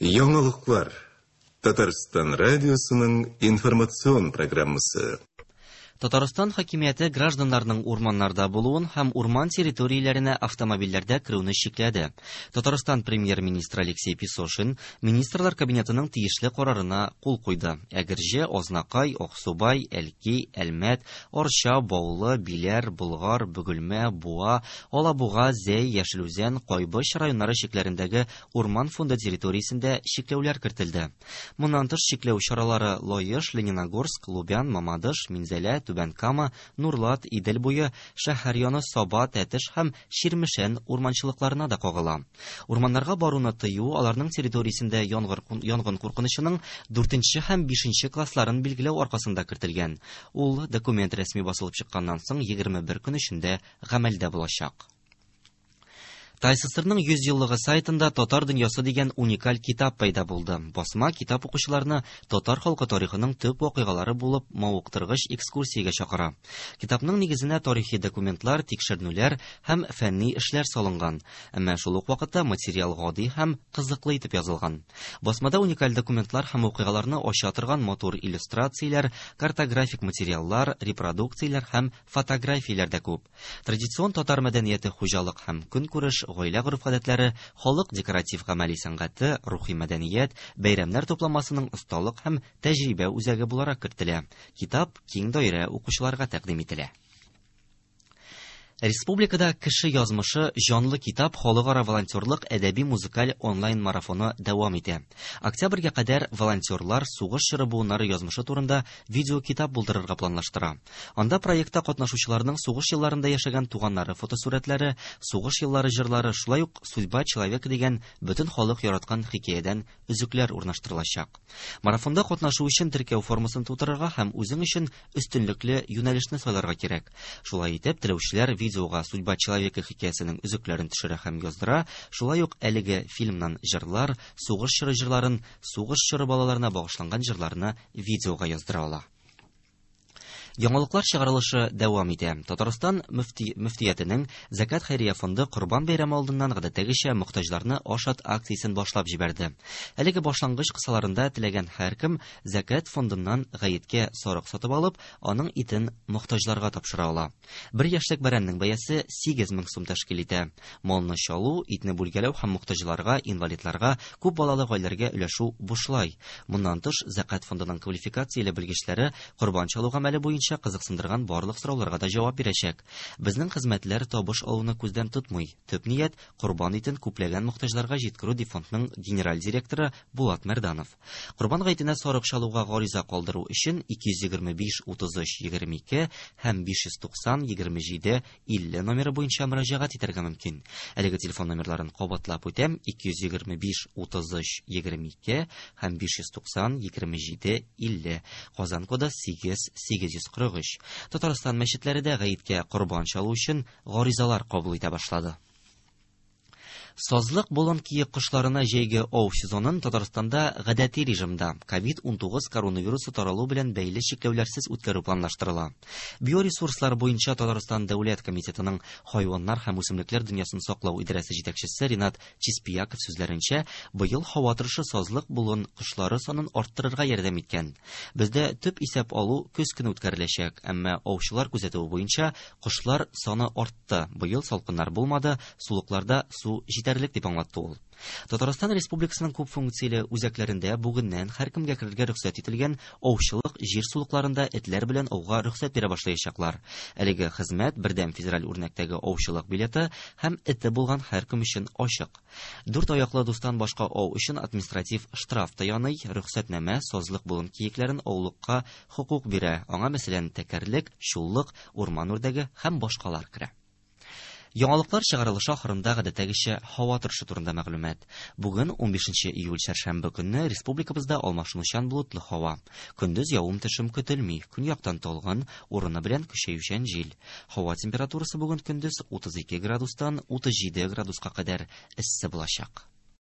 Яңалыклар. Татарстан радиосының информацион программасы. Татарстан хакимияте гражданнарның урманнарда булуын һәм урман территорияләренә автомобильләрдә керүне чикләде. Татарстан премьер-министры Алексей Песошин Министрлар Кабинетының тиешле карарына кул куйды. Әгерҗе, Азнакай, Аксубай, Әлки, Әлмәт, Арча, Баулы, Биләр, Болгар, Бөгелмә, Буа, Алабуга, Зәй, Яшел Үзән, Кайбыч районнары чикләрендәге урман фонды территориясендә чикләүләр кертелде. Моннан тыш чикләү чаралары Лаеш, Лениногорск, Лубян, Мамадыш, Минзәлә, Түбән Кама, Нурлат, Идел буе, шәһәр яны, Саба, Тәтеш һәм Чирмешән урманчылыкларына да кагыла. Урманнарга баруны тыю аларның территориясендә янгыр, янгын куркынычының дүртенче һәм бишенче классларын билгеләү аркасында кертелгән. Ул документ рәсми басылып чыкканнан соң 21 көн эчендә гамәлдә булачак. ТАССРның 100 еллыгы сайтында Татар дөньясы дигән уникаль китап пәйда булды. Басма китап укучыларны татар халкы тарихының төп вакыйгалары булып мавыктыргыч экскурсиягә чакыра. Китапның нигезенә тарихи документлар, тикшеренүләр һәм фәнни эшләр салынган. Әмма шул ук вакытта материал гади һәм кызыклы итеп язылган. Басмада уникаль документлар һәм вакыйгаларны ача торган матур иллюстрацияләр, картографик материаллар, репродукцияләр һәм фотографияләр дә күп. Традицион татар мәдәнияте хуҗалык һәм көнкүреш, гаилә гореф-гадәтләре, халык декоратив-гамәли сәнгате, рухи мәдәният, бәйрәмнәр тупламасының осталык һәм тәҗрибә үзәге буларак кертелә. Китап киң даирә укучыларга тәкъдим ителә. Республикада Кеше язмышы җанлы китап халыкара волонтерлык әдәби-музыкаль онлайн-марафоны дәвам итә. Октябрьгә кадәр волонтерлар сугыш чоры буыннары язмышы турында видеокитап булдырырга планлаштыра. Анда проектта катнашучыларның сугыш елларында яшәгән туганнары фотосурәтләре, сугыш еллары җырлары, шулай ук Судьба человека дигән бөтен халык яраткан хикәядән өзекләр урнаштырылачак. Марафонда катнашу өчен теркәү формасын тутырырга һәм үзең өчен өстенлекле юнәлешне сайларга кирәк. Шулай итеп, теләүчеләр видеога Судьба человека хикәясенең өзекләрен төшерә һәм яздыра, шулай ук әлеге фильмнан җырлар, сугыш чоры җырларын, сугыш чоры балаларына багышланган җырларны видеога яздыра ала. Яңалыклар чыгарылышы дәвам итә. Татарстан мөфти, мөфтиятенең Зәкят хәйрия фонды Корбан бәйрәме алдыннан гадәттәгечә мохтаҗларны ашат акциясен башлап җибәрде. Әлеге башлангыч кысаларында теләгән һәркем Зәкят фондыннан гаеткә сарык сатып алып, аның итен мохтаҗларга тапшыра ала. Бер яшьлек бәрәннең бәясе 8 мең сум тәшкил итә. Малны чалу, итне бүлгәләү һәм мохтаҗларга, инвалидларга, күп балалы гаиләләргә өләшү бушлай. Моннан тыш, Зәкят фондының квалификацияле белгечләре корбан чалу гамәле буенча кызыксындырган барлык сорауларга да җавап бирәчәк. Безнең хезмәтләр табыш алуны күздән тотмый. Төп ният корбан итен күпләгән мохтаҗларга җиткерү, ди фондның генераль директоры Булат Мәрданов. Корбан гаетенә сарык чалуга гариза калдыру өчен 225 33 22 һәм 590 27 50 номеры буенча мөрәҗәгать итәргә мөмкин. Әлеге телефон номерларын кабатлап үтәм: 225 33 22 һәм 590 27 50. Казан коды 8 843. Татарстан мәчетләре дә гаеткә корбан чалу өчен гаризалар кабул итә башлады. Сазлык болын киек кошларына җәйге ау сезонын Татарстанда гадәти режимда COVID-19 коронавирусы таралу белән бәйле чикләүләрсез үткәрү планлаштырыла. Биоресурслар буенча Татарстан дәүләт комитетының хайваннар һәм үсемлекләр дөньясын саклау идарәсе җитәкчесе Ринат Чиспияков сүзләренчә, быел һава торышы сазлык болын кошлары санын арттырырга ярдәм иткән. Бездә төп исәп алу көз көне үткәреләчәк, әмма аучылар күзәтүе буенча кошлар саны артты. Быел салкыннар булмады, сулыкларда су җитәрлек дип аңлатты ул. Татарстан Республикасының күп функцияле үзәкләрендә бүгеннән һәркемгә керергә рөхсәт ителгән аучылык җир сулыкларында этләр белән ауга рөхсәт бирә башлаячаклар. Әлеге хезмәт бердәм федераль үрнәктәге аучылык билеты һәм эте булган һәркем өчен ачык. Дүрт аяклы дустан башка ау өчен административ штраф та яный, рөхсәтнамә сазлык болын киекләрен аулыкка хокук бирә. Аңа мәсәлән тәкәрлек, чуллык, урман үрдәге һәм башкалар керә. Яңалыклар чыгарылышы ахырында гадәттәгечә һава торышы турында мәгълүмат. Бүген 15 июль чәршәмбе көнне республикабызда алмашынучан болытлы һава. Көндез явым-төшем көтелми. Көньяктан талгын, урыны белән көчәючән җил. Һава температурасы бүген көндез 32 градустан 37 градуска кадәр эссе булачак.